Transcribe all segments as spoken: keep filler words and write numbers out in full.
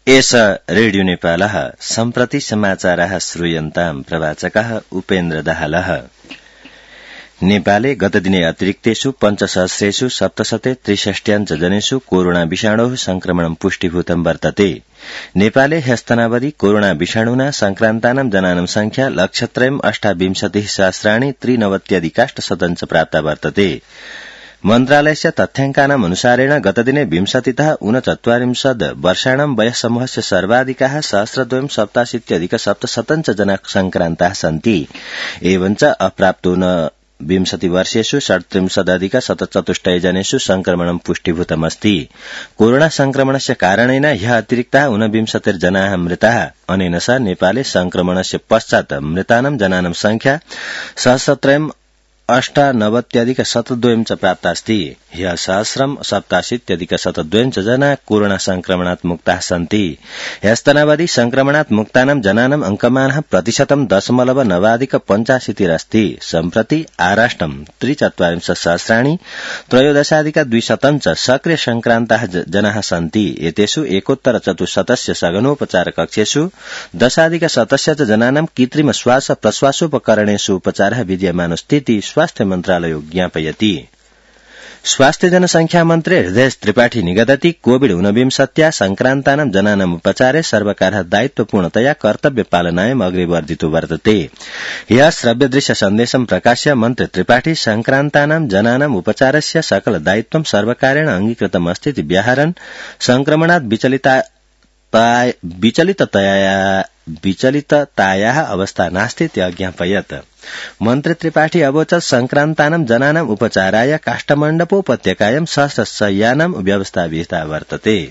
एष रेडियो नेपालः सम्प्रति समाचारः श्रूयन्ताम् प्रवाचकः उपेन्द्र दाहालः। नेपाले गतदिने अतिरिक्तेषु पञ्चसहस्रेषु सप्तशते त्रिषष्ट्याञ्च जनेषु कोरोना विषाणोः संक्रमणं पुष्टिभूतं वर्तते। नेपाले ह्यस्तनावधि कोरोना विषाणुना संक्रान्तानां जनानां संख्या लक्षत्रयम् अष्टाविंशतिः सहस्राणि त्रिनवत्यधिकाष्टशतं च प्राप्ता वर्तते। मन्त्रालयस्य तथ्याङ्कानाम् अनुसारेण गतदिने विंशतितः ऊनचत्वारिंशत् वर्षाणां वयस्समूहस्य सर्वाधिकाः सहस्रद्वयं सप्ताशीत्यधिक सप्तशतं च जना संक्रान्ताः सन्ति। एवञ्च अप्राप्तोन विंशति वर्षेषु षट्त्रिंशदधिक शतचतुष्टय जनेषु संक्रमणं पुष्टिभूतमस्ति। कोरोना संक्रमणस्य कारणेन ह्यः अतिरिक्ताः ऊनविंशतिर्जनाः मृताः। अनेन सह नेपाले संक्रमणस्य पश्चात् मृतानां जनानां संख्या सहस्रत्रयम् अष्टानवत्यधिक शतद्वयं च प्राप्तास्ति। ह्यः सहस्रं सप्ताशीत्यधिक शतद्वयं च जना कोरोना संक्रमणात् मुक्ताः सन्ति। ह्यस्तनावधि संक्रमणात् मुक्तानां जनानाम् अंकमानः प्रतिशतं दशमलव नवाधिक पञ्चाशीतिरस्ति। सम्प्रति आराष्ट्रं त्रिचत्वारिंशत् सहस्राणि त्रयोदशाधिक द्विशतं च सक्रिय संक्रान्ताः जनाः सन्ति। एतेषु एकोत्तर चतुश्शतस्य सघनोपचार कक्षेषु दशाधिक शतस्य च जनानां कृत्रिम श्वास प्रश्वासोपकरणेषु उपचारः विद्यमानोऽस्तीति स्वास्थ्य मन्त्रालयो ज्ञापयति। स्वास्थ्य जनसंख्या मन्त्री हृदय त्रिपाठी निगदति कोविड ऊनविंशत्या संक्रान्तानां जनानाम् उपचारे सर्वकारः दायित्वपूर्णतया कर्तव्य पालनायाम् अग्रे वर्धितो वर्तते। ह्यः श्रव्यदृश्य सन्देशं प्रकाश्य मन्त्री त्रिपाठी संक्रान्तानां जनानाम् उपचारस्य सकल दायित्वं सर्वकारेण अंगीकृतमस्तीति व्याहरन् संक्रमणात् विचलिता विचलिततया विचलिततायाः अवस्था नास्तीति अज्ञापयत्। मन्त्री त्रिपाठी अवोचत् संक्रान्तानां जनानाम् उपचाराय काष्ठमण्डपोपत्यकायां सहस्रशय्यानां व्यवस्था विहिता वर्तते।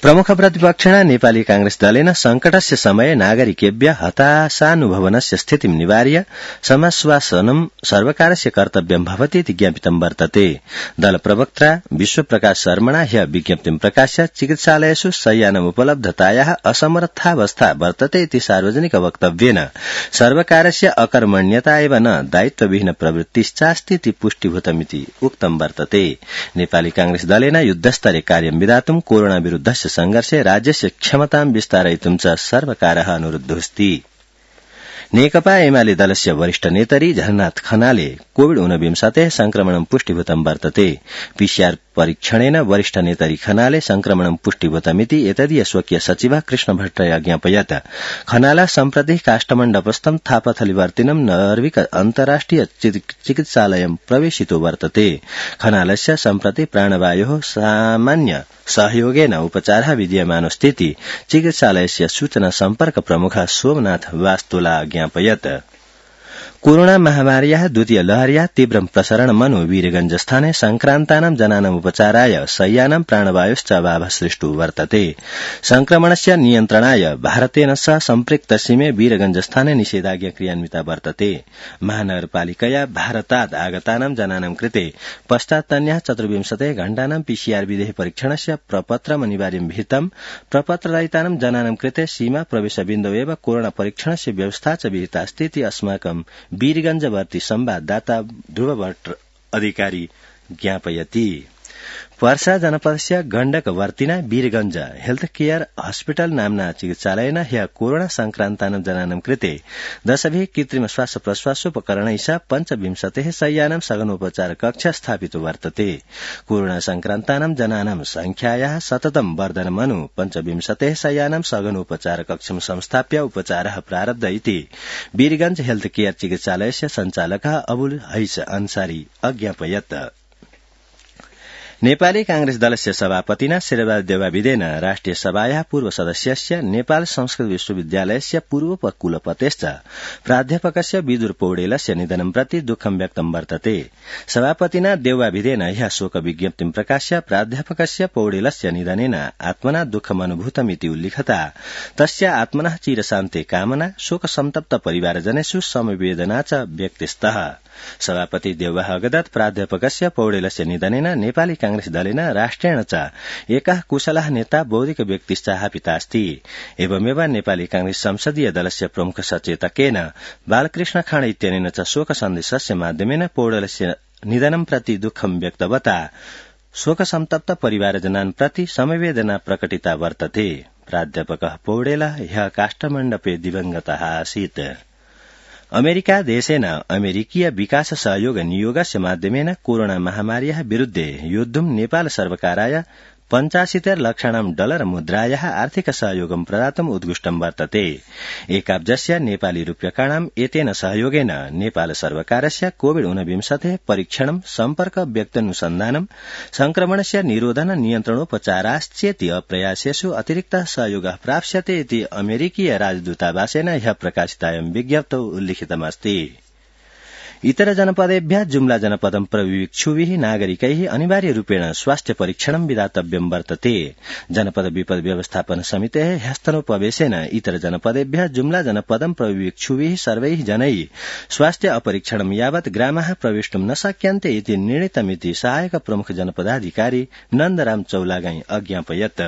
प्रमुख प्रतिपक्षिणा नेपाली कांग्रेस दलेन संकटस्य समये नागरिकेभ्य हताशानुभवनस्य स्थितिं निवार्य समाश्वासनं सर्वकारस्य कर्तव्यं भवति इति ज्ञापितं वर्तते। दल प्रवक्ता विश्वप्रकाश शर्मणा ह्यः विज्ञप्तिं प्रकाश्य चिकित्सालयेषु शय्यानाम् उपलब्धतायाः असमर्थावस्था वर्तते इति सार्वजनिक वक्तव्येन सर्वकारस्य अकर्मण्यता एव न दायित्वविहीन प्रवृत्तिश्चास्ति इति पुष्टिभूतमिति उक्तं वर्तते। नेपाली कांग्रेस दलेन युद्धस्तरे कार्यं विधातुं कोरोना विरुद्धस्य संघर्षे राज्यस्य क्षमतां विस्तारयितुं च सर्वकारः अनुरुद्धोऽस्ति। नेकपा एमाले दलस्य वरिष्ठ नेतरी झलनाथ खनाले कोविड ऊनविंशतेः संक्रमणं पुष्टिभूतं वर्तते। पीसीआर परीक्षणेन वरिष्ठ नेतरी खनाले संक्रमणं पुष्टिभूतमिति एतदीय स्वकीय सचिवः कृष्ण भट्टराय अज्ञापयत्। खनाला सम्प्रति काष्ठमण्डपस्थं थापाथलीवर्तिनं नर्विक अन्ताराष्ट्रिय चिकित्सालयं प्रवेशितो वर्तते। खनालस्य सम्प्रति प्राणवायोः सामान्य सहयोगेन उपचारः विद्यमानोऽस्तीति चिकित्सालयस्य सूचना सम्पर्क प्रमुखः सोमनाथ वास्तुला ज्ञापयत्। कोरोना महामार्याः द्वितीय लहर्याः तीव्रं प्रसरणमनु वीरगंजस्थाने संक्रान्तानां जनानाम् उपचाराय शय्यानां प्राणवायोश्च अभावः सृष्टो वर्तते। संक्रमणस्य नियन्त्रणाय भारतेन सह सम्पृक्तसीमे वीरगंजस्थाने निषेधाज्ञा क्रियान्विता वर्तते। महानगरपालिकया भारतात् आगतानां जनानां कृते पश्चात्तन्याः चतुर्विंशतिः घण्टानां पीसीआर विधेः परीक्षणस्य प्रपत्रम् अनिवार्यं विहितम्। प्रपत्ररहितानां जनानां कृते सीमा प्रवेशबिन्दौ एव कोरोना परीक्षणस्य व्यवस्था च विहितास्ति इति अस्माकं वीरगंजवर्ती संवाददाता ध्रुव भट्ट अधिकारी ज्ञापयति। पर्सा जनपदस्य गण्डकवर्तिना वीरगंज हेल्थ केयर हस्पिटल नाम्ना चिकित्सालयेन ह्यः कोरोना संक्रान्तानां जनानां कृते दशभिः कृत्रिम श्वास प्रश्वासोपकरणैः पञ्चविंशतिः शय्यानां सघनोपचार कक्ष स्थापितो वर्तते। कोरोना संक्रान्तानां जनानां संख्यायाः सततं वर्धनमनु पञ्चविंशतिः शय्यानां सघनोपचार कक्षं संस्थाप्य उपचारः प्रारब्ध इति वीरगंज हेल्थ केयर चिकित्सालयस्य सञ्चालकः अबुल हैस अंसारी अज्ञापयत्। नेपाली कांग्रेस दलस्य सभापतिना शेरबहादुर देवाविदेन राष्ट्रिय सभायाः पूर्व सदस्यस्य नेपाल संस्कृत विश्वविद्यालयस्य पूर्वकुलपतेश्च प्राध्यापकस्य विदुर पौडेलस्य निधनं प्रति दुःखं व्यक्तं वर्तते। सभापतिना देवाविदेन ह्यः शोक विज्ञप्तिं प्रकाश्य प्राध्यापकस्य पौडेलस्य निधनेन आत्मना दुःखमनुभूतमिति उल्लिखता तस्य आत्मनः चिरशान्ते कामना शोकसन्तप्त परिवारजनेषु समवेदना च व्यक्तिस्तः। सभापति देवः अगदत् प्राध्यापकस्य पौडेलस्य निधनेन नेपाली कांग्रेस दलेन राष्ट्रेण च एकः कुशलः नेता बौद्धिक व्यक्तिश्च हापितास्ति। एवमेव नेपाली कांग्रेस संसदीय दलस्य प्रमुख सचेतकेन बालकृष्ण खाँड इत्यनेन च शोक सन्देशस्य माध्यमेन पौडेलस्य निधनं प्रति दुःखं व्यक्तवता शोकसन्तप्त परिवारजनान् प्रति समवेदना प्रकटिता वर्तते। प्राध्यापकः पौडेलः ह्यः काष्ठमण्डपे दिवंगतः आसीत्। अमेरिका देशेन अमेरिकीय विकास सहयोग नियोगस्य माध्यमेन कोरोना महामार्याः विरुद्धे योद्धुं नेपाल सर्वकाराय पञ्चाशीतर लक्षाणां डलर मुद्रायाः आर्थिक सहयोगं प्रदातुम् उद्घुष्टं वर्तते। एकाब्जस्य नेपाली रूप्यकाणाम् एतेन सहयोगेन नेपाल सर्वकारस्य कोविड ऊनविंशतेः परीक्षणं सम्पर्क व्यक्त्यनुसन्धानं संक्रमणस्य निरोधन नियन्त्रणोपचाराश्चेति प्रयासेषु अतिरिक्तः सहयोगः प्राप्स्यते इति अमेरिकीय राजदूतावासेन ह्यः प्रकाशितायां विज्ञप्तौ उल्लिखितमस्ति। इतर जनपदेभ्यः जुम्ला जनपदं प्रविक्षुभिः नागरिकैः अनिवार्य रूपेण स्वास्थ्य परीक्षणं विधातव्यं वर्तते। जनपद विपद व्यवस्थापन समितेः ह्यस्तनोपवेशेन इतर जनपदेभ्यः जुम्ला जनपदं प्रविक्षुभिः सर्वैः जनैः स्वास्थ्य अपरीक्षणं यावत् ग्रामाः प्रवेष्टुं न शक्यन्ते इति निर्णीतमिति सहायक प्रमुख जनपदाधिकारी नन्दराम चौलागाई अज्ञापयत्।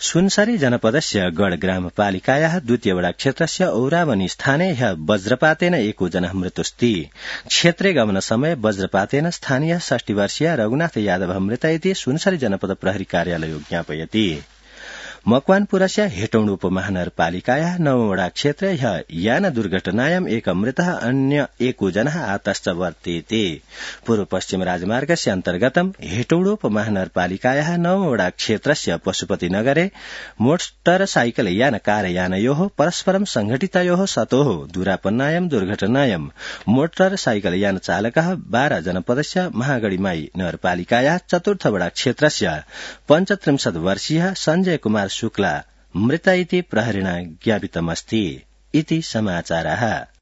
सुनसरी जनपदस्य गढ़ ग्रामपालिकायाः द्वितीय वडा क्षेत्रस्य औरावनी स्थाने ह्यः वज्रपातेन एको जनः मृतुस्ति। क्षेत्रे गमन समय वज्रपातेन स्थानीय षष्टि वर्षीय रघुनाथ यादव मृत इति सुनसरी जनपद प्रहरी कार्यालय ज्ञापयति। मकवानपुरस्य हेटौड उपमहानगरपालिकायाः नववडा क्षेत्रे ह्यः यान दुर्घटनायाम् एक मृतः अन्य एको जनः आतश्च वर्तेते। पूर्व पश्चिम राजमार्गस्य अन्तर्गतं हेटौड उपमहानगरपालिकायाः नववडा क्षेत्रस्य पशुपतिनगरे मोटरसाइकल यान कारयानयोः परस्परं संघटितयोः सतोः दूरापन्नायां दुर्घटनायां मोटरसाइकल यान चालकः बारा जनपदस्य महागढ़ीमाई नगरपालिकायाः चतुर्थ वडा क्षेत्रस्य पञ्चत्रिंशत् वर्षीयः संजय कुमार शुक्ला मृत इति प्रहरिणा ज्ञापितमस्ति। इति समाचारः।